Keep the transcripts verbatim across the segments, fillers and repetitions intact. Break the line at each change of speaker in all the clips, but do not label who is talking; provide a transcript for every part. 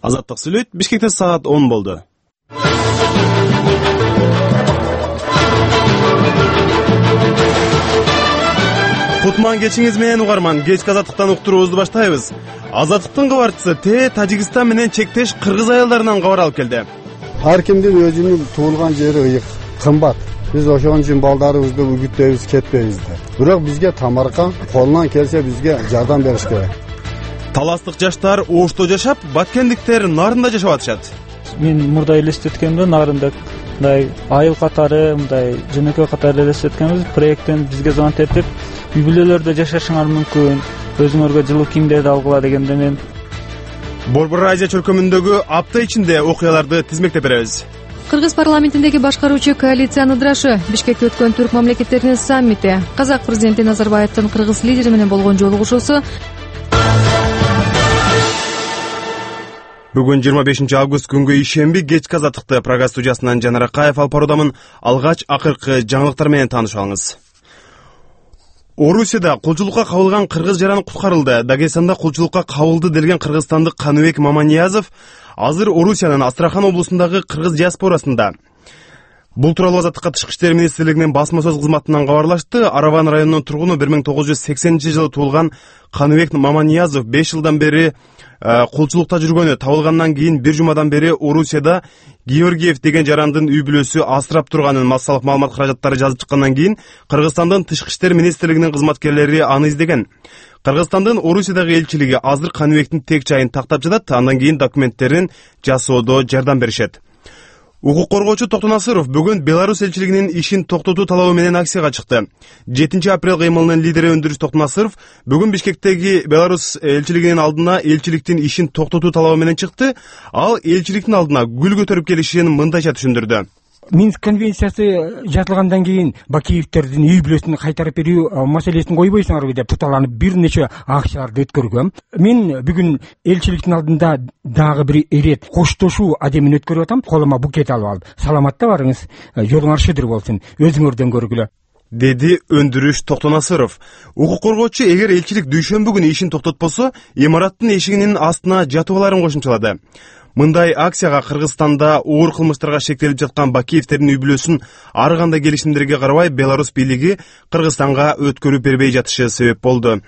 Азаттык сүйлөйт. Бишкекте саат он болду. Кутман кечиңиз менен угарман, кечки Азаттыктан уктуруубузду баштайбыз. Азаттыктын кабарчысы Т Тажикстан менен чектеш кыргыз аялдарынан кабар алып келди.
Ар кимдин өзүнүн туулган жери ыйык, кымбат. Биз ошон үчүн балдарыбызды үгүттөйбүз, кетпейбиз да. Бирок бизге тамарка, колунан келсе бизге жардам бериш керек.
Таластык жаштар Ошто жашап, баткендиктер Нарында жашап атышат.
Мен мурда элестеткемде Нарында мындай айыл катары, мындай жөнөкөй катары элестеткенбиз. Проекттен бизге звонок этип, үй бүлөлөрдө жашашыңар мүмкүн, өзүңөргө жылуу кийимдерди алгыла дегенде мен
Борбор Азия чөлкөмүндөгү апта ичинде окуяларды тизмектеп беребиз.
Кыргыз парламентиндеги башкаруучу коалициянын ыдырашы, Бишкекте өткөн түрк мамлекеттеринин саммити, Казак президенти Назарбаевдин кыргыз лидери менен болгон жолугушуусу.
Бүгүн жыйырма бешинчи август күнгө ишемби кечки Азаттыкты программа студиясынан Жанар Акаев алып баруудамын. Алгач акыркы жаңылыктар менен таанышып алыңыз. Орусияда кулчулукка кабылган кыргыз жаран куткарылды. Дагестанда кулчулукка кабылды делген кыргызстандык Каныбек Маманиязов азыр Орусиянын Астрахан облусундагы кыргыз диаспорасында. Бул тууралуу Азаттыкка Тышкы иштер министрлигинин басма сөз кызматынан кабарлашты. Араван районунун тургуну бир миң тогуз жүз сексенинчи жылы туулган Каныбек Маманиязов беш жылдан бери кулчулукта жүргөнү табылгандан кийин бир жумадан бери Орусияда Георгиев деген жарандын үй бүлөсү асырап турганын массалык маалымат каражаттары жазып чыккандан кийин Кыргызстандын Тышкы иштер министрлигинин кызматкерлери аны издеген. Кыргызстандын Орусиядагы элчилиги азыр Каныбектин тек жайын тактап жатат, андан кийин документтерин жасоодо жардам беришет. Укук коргоочу Токтон Асыров бүгүн Беларусь элчилигинин ишин токтотуу талабы менен акцияга чыкты. жетинчи апрель кыймылынын лидери Өндүрүш Токтон Асыров бүгүн Бишкектеги Беларусь элчилигинин алдына элчиликтин ишин токтотуу талабы менен чыкты. Ал элчиликтин алдына гүл көтөрүп келишин мындайча түшүндүрдү.
Минск конвенциясы жазылгандан кийин Бакиевтердин үй бүлөсүн кайтарып берүү маселесин койбойсуңарбы деп путаланып бир нече акцияларды өткөргөм. Мен бүгүн элчиликтин алдында дагы бир ирет коштошуу адемин өткөрүп атам. Колума букет алып алып, саламатта барыңыз, жолуңар шыдыр болсун, өзүңөрдөн көргүлө,
деди Өндүрүш Токтон Асыров. Укук коргоочу эгер элчилик дүйшөмбү күнү ишин токтотпосо, имараттын эшигинин астына жатып аларын кошумчалады. Мындай акцияга Кыргызстанда оор кылмыштарга шектелип жаткан Бакиевтердин үй бүлөсүн ар кандай келишимдерге карабай Беларусь бийлиги Кыргызстанга өткөрүп бербей жатышы себеп болду.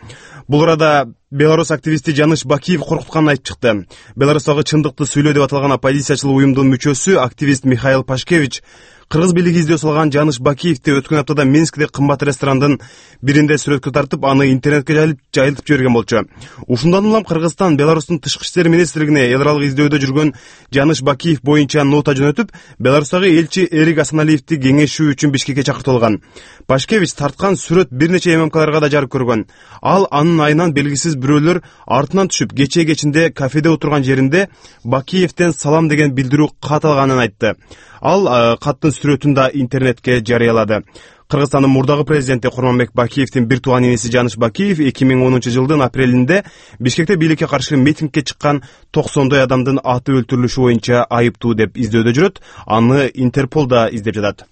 Бул арада Беларусь активисти Жаныш Бакиев коркутканын айтып чыкты. Беларустагы чындыкты сүйлөө деп аталган оппозициячыл уюмдун мүчөсү активист Михаил Пашкевич кыргыз бийлиги издөө салган Жаныш Бакиевди өткөн аптада Минскте кымбат ресторандын биринде сүрөткө тартып, аны интернетке жайылып жайылтып жиберген болчу. Ушундан улам Кыргызстан Беларустун Тышкы иштер министрлигине эл аралык издөөдө жүргөн Жаныш Бакиев боюнча нота жөнөтүп, Беларустагы элчи Эрик Асаналиевди кеңешүү үчүн Бишкекке чакыртылган. Пашкевич тарткан сүрөт бир нече ММКларга да жарык көргөн. Ал анын айынан белгисиз бирөөлөр артынан түшүп, кече кечинде кафеде отурган жеринде Бакиевден салам деген билдирүү кат алганын айтты. Ал каттын сүрөтүн да интернетке жарыялады. Кыргызстандын мурдагы президенти Курманбек Бакиевдин бир тууган иниси Жаныш Бакиев эки миң онунчу жылдын апрелинде Бишкекте бийликке каршы митингге чыккан токсондой адамдын аты өлтүрүлүшү боюнча айыптуу деп издөөдө жүрөт. Аны Интерпол да издеп жатат.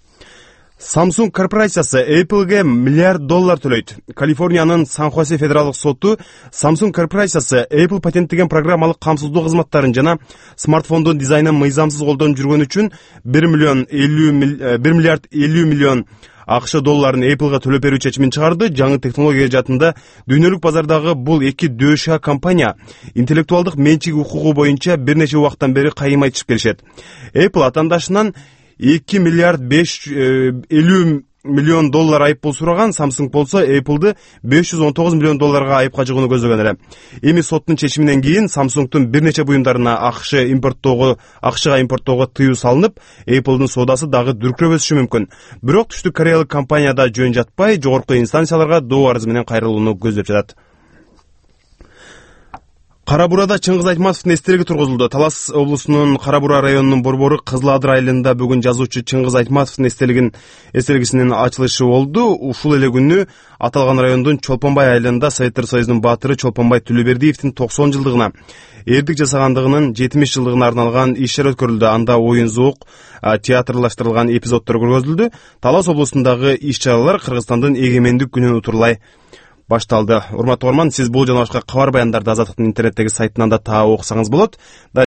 Samsung корпорациясы Apple'ге миллиард доллар төлөйт. Калифорниянын Сан-Хосе федералдык соту Samsung корпорациясы Apple патенттеген программалык камсыздоо кызматтарын жана смартфондун дизайнын мыйзамсыз колдонуп жүргөн үчүн бир миллиард элүү миллион АКШ долларын Apple'га төлөп берүү чечимин чыгарды. Жаңы технология жаатында дүйнөлүк базардагы бул эки дөшө компания интеллектуалдык менчик укугу боюнча бир нече убакыттан бери кайым айтышып келишет. Apple атаандашынан эки миллиард беш жүз элүү миллион доллар айыппул сураган, Samsung болсо Apple'ды беш жүз он тогуз миллион долларга айыпка жыгууну көздөгөн эле. Эми соттун чечиминен кийин Samsung'тун бир нече буюмдарына АКШ импорттоого, АКШга импорттоого тыюу салынып, Apple'дын соодасы дагы дүркүрөп өсүшү мүмкүн. Бирок түштүк кореялык компанияда жөн жатпай, жогорку инстанцияларга доо арызы менен кайрылууну көздөп жатат. Кара Бурада Чыңгыз Айтматовдун эстелиги тургузулду. Талас облусунун Кара Бура районунун борбору Кызыл Адыр айылында бүгүн жазуучу Чыңгыз Айтматовдун эстелигин эстелигисинин ачылышы болду. Ушул эле күнү аталган райондун Чолпонбай айылында Советтер Союзунун баатыры Чолпонбай Төлөбердиевдин токсон жылдыгына, эрдик жасагандыгынын жетимиш жылдыгына арналган иш-чара өткөрүлдү. Анда оюн зоок, театрлаштырылган эпизоддор көргөзүлдү. Талас облусундагы иш-чаралар Кыргызстандын эгемендик күнүн утурлай башталды. Урматтуу угарман, сиз бул жана башка кабар баяндарды Азаттыктын интернеттеги сайтынан да таап окусаңыз болот.